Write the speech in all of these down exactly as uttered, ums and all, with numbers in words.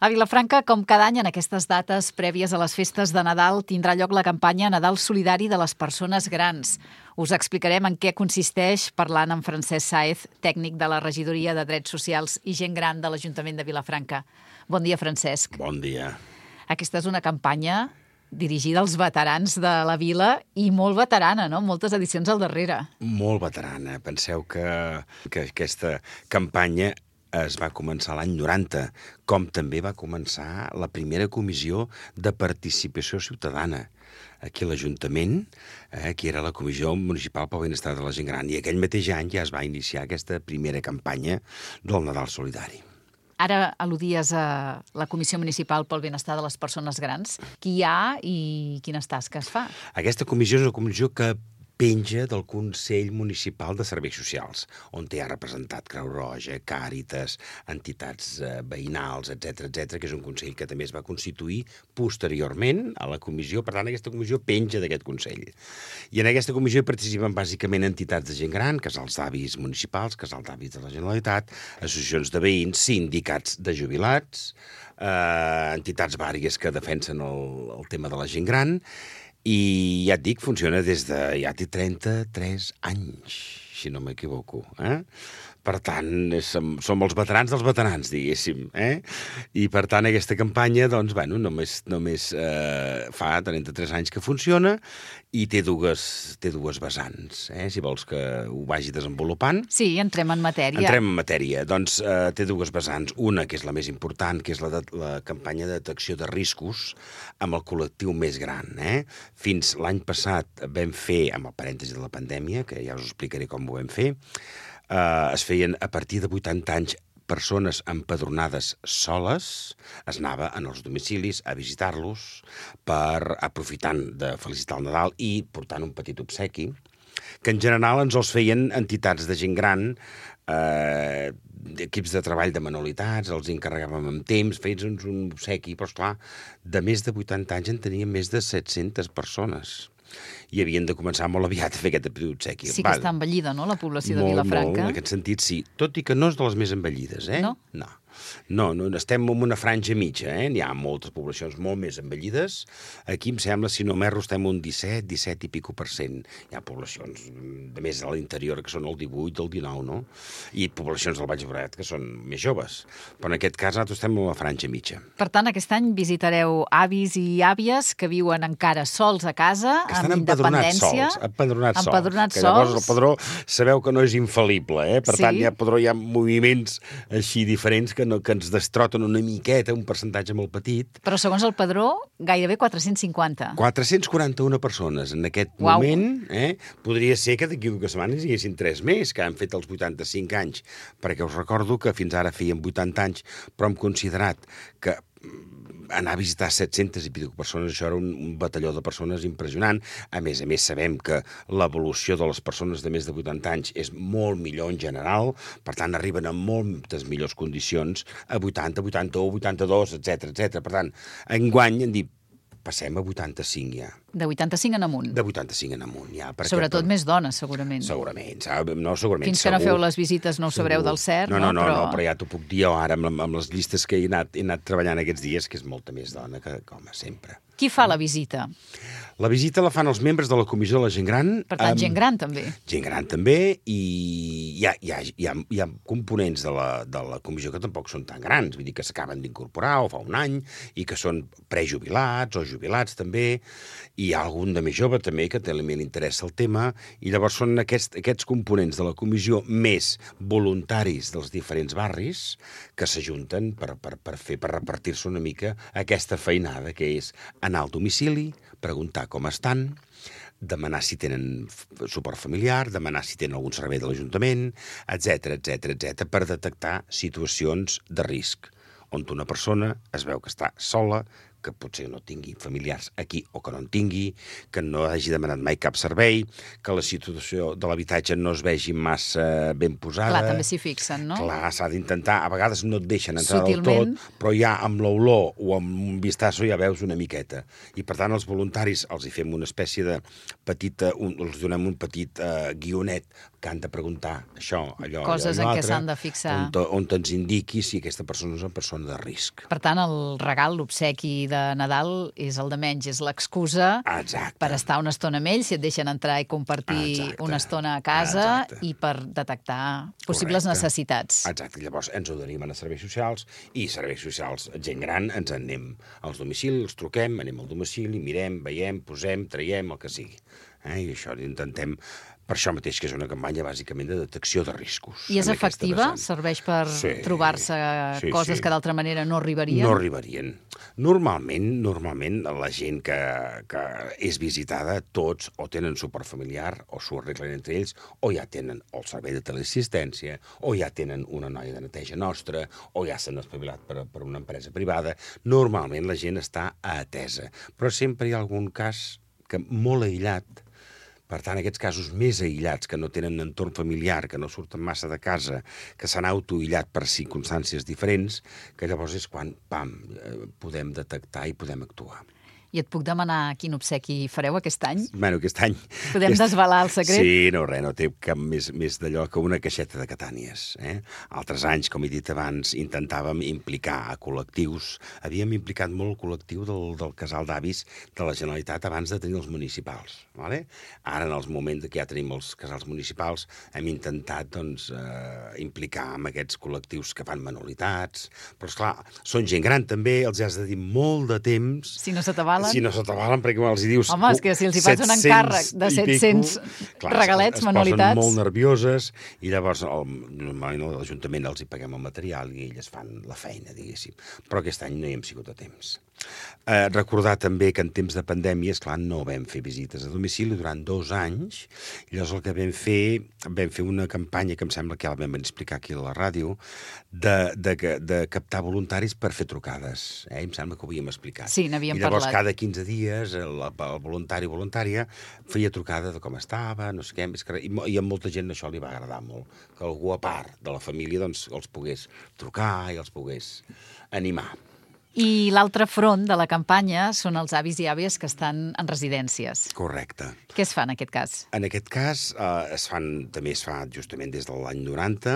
A Vilafranca, com cada any en aquestes dates prèvies a les festes de Nadal, tindrà lloc la campanya Nadal Solidari de les Persones Grans. Us explicarem en què consisteix parlant amb Francesc Sáez, tècnic de la Regidoria de Drets Socials i Gent Gran de l'Ajuntament de Vilafranca. Bon dia, Francesc. Bon dia. Aquesta és una campanya dirigida als veterans de la vila i molt veterana, no? Moltes edicions al darrere. Molt veterana. Penseu que, que aquesta campanya es va començar l'any noranta, com també va començar la primera comissió de participació ciutadana aquí a l'Ajuntament, eh, que era la Comissió Municipal pel Benestar de la Gent Gran. I aquell mateix any ja es va iniciar aquesta primera campanya del Nadal Solidari. Ara al·ludies a la Comissió Municipal pel Benestar de les Persones Grans. Qui hi ha i quines tasques fa? Aquesta comissió és una comissió que penja del Consell Municipal de Serveis Socials, on hi ha representat Creu Roja, Càritas, entitats eh, veïnals, etcètera, etcètera, que és un consell que també es va constituir posteriorment a la comissió. Per tant, aquesta comissió penja d'aquest consell. I en aquesta comissió hi participen bàsicament entitats de gent gran, casals d'avis municipals, casals d'avis de la Generalitat, associacions de veïns, sindicats de jubilats, eh, entitats vàries que defensen el, el tema de la gent gran. I ja et dic, funciona des de ja té trenta-tres anys, si no m'equivoco. Eh? Per tant, som, som els veterans dels veterans, diguéssim. Eh? I per tant, aquesta campanya, doncs, bueno, només, només eh, fa trenta-tres anys que funciona i té dues, té dues vessants, eh? Si vols que ho vagi desenvolupant. Sí, entrem en matèria. Entrem en matèria. Doncs eh, té dues vessants. Una, que és la més important, que és la, de, la campanya de detecció de riscos amb el col·lectiu més gran. Eh? Fins l'any passat vam fer, amb el parèntesi de la pandèmia, que ja us explicaré com ho vam fer, eh, es feien a partir de vuitanta anys persones empadronades soles, es anava en els domicilis a visitar-los per aprofitant de felicitar el Nadal i portant un petit obsequi, que en general ens els feien entitats de gent gran, eh, equips de treball de manualitats, els encarregàvem amb temps, feies un obsequi, però esclar, de més de vuitanta anys en teníem més de set-centes persones. I havien de començar molt aviat a fer aquest obsequi. Sí que està envellida, no?, la població de molt, Vilafranca. Molt, en aquest sentit, sí. Tot i que no és de les més envellides, eh? No? No. No, no, estem en una franja mitja, eh? N'hi ha moltes poblacions molt més envellides. Aquí, em sembla, si no m'erro, estem un disset, disset i pico per cent. Hi ha poblacions de més a l'interior que són el divuit, el dinou, no? I poblacions del Baix Llobregat que són més joves. Però en aquest cas nosaltres estem en la franja mitja. Per tant, aquest any visitareu avis i àvies que viuen encara sols a casa, que estan amb empadronats independència. Sols, empadronats, empadronats sols. Que llavors el padró sabeu que no és infal·lible, eh? Per sí. tant, hi ha, padró, hi ha moviments així diferents que, no, que ens destroten una miqueta, un percentatge molt petit. Però segons el padró, gairebé quatre-cents cinquanta. quatre-cents quaranta-una persones en aquest Uau. moment. Eh? Podria ser que d'aquí dues setmanes hi haguessin tres més, que han fet els vuitanta-cinc anys, perquè us recordo que fins ara feien vuitanta anys, però hem considerat que anar a visitar set-centes i pico persones, això era un, un batalló de persones impressionant. A més a més, sabem que l'evolució de les persones de més de vuitanta anys és molt millor en general, per tant, arriben en moltes millors condicions a vuitanta, vuitanta-u, vuitanta-dos, etcètera, etcètera. Per tant, enguany hem dit, passem a vuitanta-cinc ja. De vuitanta-cinc en amunt. De vuitanta-cinc en amunt, ja. Sobretot més dones, segurament. Segurament, no, segurament. Fins que no feu les visites no ho sabreu del cert, no? No, no, però... no, però ja t'ho puc dir jo ara amb, amb les llistes que he anat, he anat treballant aquests dies, que és molta més dona que, com sempre. Qui fa la visita? La visita la fan els membres de la Comissió de la Gent Gran. Per tant, amb... gent gran també. Gent gran també, i hi ha, hi ha, hi ha, hi ha components de la, de la comissió que tampoc són tan grans, vull dir que s'acaben d'incorporar o fa un any, i que són prejubilats o jubilats també, i hi ha algun de més jove també que també li interessa el tema, i llavors són aquests, aquests components de la comissió més voluntaris dels diferents barris que s'ajunten per, per, per fer, per repartir-se una mica aquesta feinada, que és anar al domicili, preguntar com estan, demanar si tenen suport familiar, demanar si tenen algun servei de l'Ajuntament, etcètera, etcètera, etcètera, per detectar situacions de risc, on una persona es veu que està sola, que potser no tingui familiars aquí o que no en tingui, que no hagi demanat mai cap servei, que la situació de l'habitatge no es vegi massa ben posada. Clar, també s'hi fixen, no? Clar, s'ha d'intentar. A vegades no et deixen entrar Sutilment. del tot, però ja amb l'olor o amb un vistazo ja veus una miqueta. I, per tant, els voluntaris els hi fem una espècie de petita... Un, els donem un petit uh, guionet que han de preguntar això, allò, Coses allò, en què l'altre, s'han de fixar. On, on ens indiqui si aquesta persona és una persona de risc. Per tant, el regal, l'obsequi de Nadal és el de menys, és l'excusa Exacte. per estar una estona amb ells, si et deixen entrar i compartir Exacte. una estona a casa Exacte. i per detectar possibles Correcte. necessitats. Exacte, llavors ens ho deriven a serveis socials i serveis socials, gent gran, ens en anem als domicilis, els truquem, anem al domicili, mirem, veiem, posem, traiem, el que sigui. Eh? I això intentem... Per això mateix que és una campanya bàsicament de detecció de riscos. I és en aquesta efectiva? vessant. Serveix per Sí, trobar-se sí, coses sí. que d'altra manera no arribarien? No arribarien. Normalment, normalment la gent que, que és visitada, tots o tenen suport familiar o s'ho arreglen entre ells, o ja tenen el servei de teleassistència, o ja tenen una noia de neteja nostra, o ja s'han espavilat per, per una empresa privada. Normalment la gent està atesa. Però sempre hi ha algun cas que molt aïllat. Per tant, aquests casos més aïllats, que no tenen entorn familiar, que no surten massa de casa, que s'han autoaïllat per circumstàncies diferents, que llavors és quan, pam, podem detectar i podem actuar. I et puc demanar quin obsequi fareu aquest any? Bueno, aquest any... Podem aquest... desvelar el secret? Sí, no, res, no té cap més, més d'allò que una caixeta de catànies. Eh? Altres anys, com he dit abans, intentàvem implicar a col·lectius. Havíem implicat molt el col·lectiu del, del casal d'avis de la Generalitat abans de tenir els municipals. Vale? Ara, en els moments que ja tenim els casals municipals, hem intentat doncs, eh, implicar amb aquests col·lectius que fan manualitats. Però, esclar, són gent gran també, els has de dir molt de temps. Si no se t'avala. Si no se t'avalen, perquè els hi dius... Home, és que si els hi fas un encàrrec de set-cents regalets, es manualitats... Es posen molt nervioses i llavors el, normalment l'Ajuntament els hi paguem el material i elles fan la feina, diguéssim. Però aquest any no hi hem sigut a temps. Eh, recordar també que en temps de pandèmia, esclar, no vam fer visites a domicili durant dos anys. I llavors el que vam fer, vam fer una campanya que em sembla que ja la vam explicar aquí a la ràdio, de, de, de captar voluntaris per fer trucades. Eh? Em sembla que ho havíem explicat. Sí, n'havíem I llavors parlat. cada quinze dies el, el voluntari o voluntària feia trucada de com estava, no sé què, és que, i, i a molta gent això li va agradar molt, que algú a part de la família doncs, els pogués trucar i els pogués animar. I l'altre front de la campanya són els avis i àvies que estan en residències. Correcte. Què es fa en aquest cas? En aquest cas eh, es fan, també es fa justament des de l'any noranta,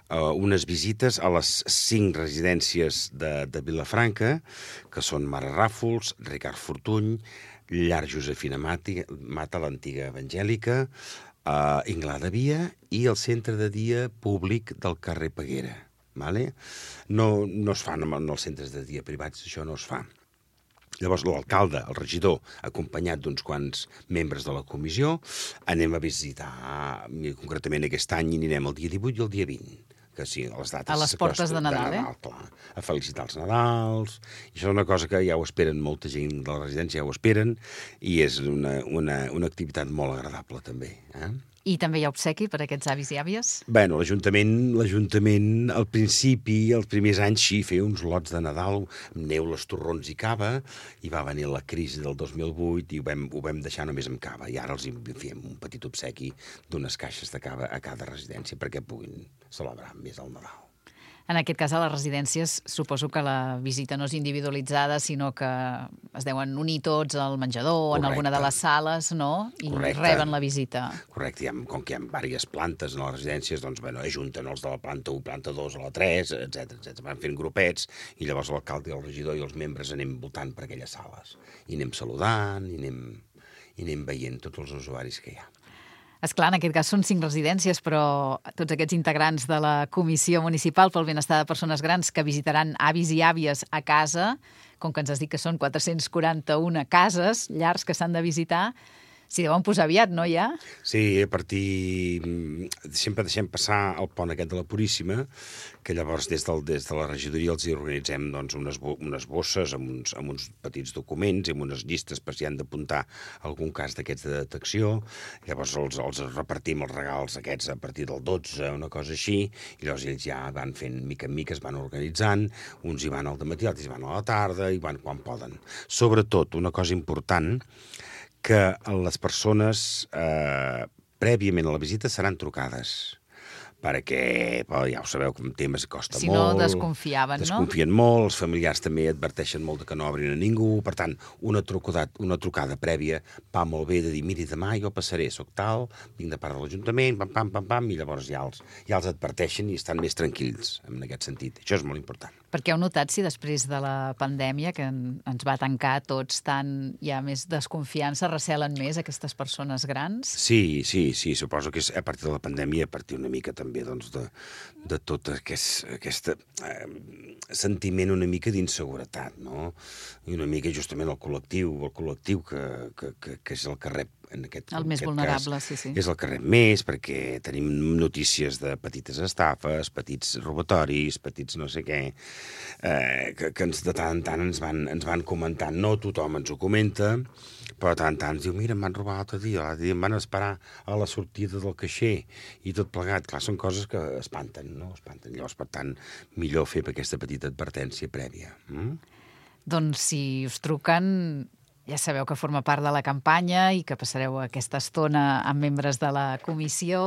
eh, unes visites a les cinc residències de, de Vilafranca, que són Mare Ràfols, Ricard Fortuny, Llar Josefina Mati, Mata, l'antiga evangèlica, eh, Inglà de Via i el centre de dia públic del carrer Peguera. Vale? No, no es fan en els centres de dia privats, això no es fa. Llavors l'alcalde, el regidor, acompanyat d'uns quants membres de la comissió, anem a visitar, concretament aquest any hi anirem el dia divuit i el dia vint, que sí, a les dates... A les portes de Nadal, de eh? Clar, a felicitar els Nadals, i això és una cosa que ja ho esperen, molta gent de la residència ja ho esperen, i és una, una, una activitat molt agradable també, eh? I també hi ha obsequi per a aquests avis i àvies? Bé, l'Ajuntament, l'Ajuntament, al principi, els primers anys, sí, feia uns lots de Nadal, amb neules, torrons i cava, i va venir la crisi del dos mil vuit i ho vam, ho vam deixar només amb cava, i ara els fem un petit obsequi d'unes caixes de cava a cada residència perquè puguin celebrar més el Nadal. En aquest cas, a les residències, suposo que la visita no és individualitzada, sinó que es deuen unir tots al menjador, Correcte. En alguna de les sales, no? I Correcte. Reben la visita. Correcte, hi ha, com que hi ha diverses plantes en les residències, doncs, bueno, ajunten els de la planta u, planta dos, a la tres, etcètera, etcètera. Van fent grupets, i llavors l'alcalde i el regidor i els membres anem voltant per aquelles sales. I anem saludant, i anem, i anem veient tots els usuaris que hi ha. Esclar, en aquest cas són cinc residències, però tots aquests integrants de la Comissió Municipal pel Benestar de Persones Grans que visitaran avis i àvies a casa, com que ens has dit que són quatre-cents quaranta-una cases, llars que s'han de visitar, S'hi deuen posar aviat, no, ja? Sí, a partir... Sempre deixem passar el pont aquest de la Puríssima, que llavors des, del, des de la regidoria els hi organitzem doncs, unes, bo, unes bosses amb uns, amb uns petits documents i amb unes llistes per si han d'apuntar algun cas d'aquests de detecció. Llavors els, els repartim els regals aquests a partir del dotze, una cosa així, i llavors ells ja van fent mica en mica, es van organitzant, uns hi van al dematí, altres hi van a la tarda, i van quan poden. Sobretot, una cosa important, que les persones eh, prèviament a la visita seran trucades, perquè, well, ja ho sabeu, que un tema costa si molt. Si no, desconfiaven, no? Desconfien molt, els familiars també adverteixen molt que no obrin a ningú, per tant, una trucada, una trucada prèvia va molt bé de dir, miri, demà jo passaré, soc tal, vinc de part de l'Ajuntament, pam, pam, pam, pam, i llavors ja els, ja els adverteixen i estan més tranquils en aquest sentit. Això és molt important. Perquè heu notat si després de la pandèmia, que ens va tancar tots tant, hi ha més desconfiança, recelen més aquestes persones grans? Sí, sí, sí, suposo que és a partir de la pandèmia, a partir una mica també doncs, de, de tot aquest, aquest eh, sentiment una mica d'inseguretat, no? I una mica justament el col·lectiu, el col·lectiu que, que, que, que és el que rep en aquest, el més en aquest vulnerable, cas, sí, sí. És el que rep més, perquè tenim notícies de petites estafes, petits robatoris, petits no sé què, eh, que, que ens, de tant en tant ens van, ens van comentant. No tothom ens ho comenta, però de tant en tant ens diu, mira, em van robar l'altre dia, l'altre dia em van esperar a la sortida del caixer i tot plegat. Clar, són coses que espanten, no? Espanten. Llavors, per tant, millor fer aquesta petita advertència prèvia. Mm? Doncs si us truquen, ja sabeu que forma part de la campanya i que passareu aquesta estona amb membres de la comissió,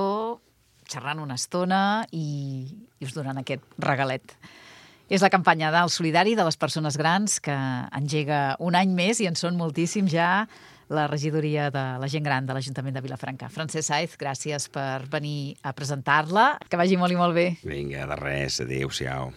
xerrant una estona i, i us donen aquest regalet. És la campanya del solidari de les persones grans que engega un any més i en són moltíssims ja la regidoria de la gent gran de l'Ajuntament de Vilafranca. Francesc Sáez, gràcies per venir a presentar-la. Que vagi molt i molt bé. Vinga, de res. Adéu-siau.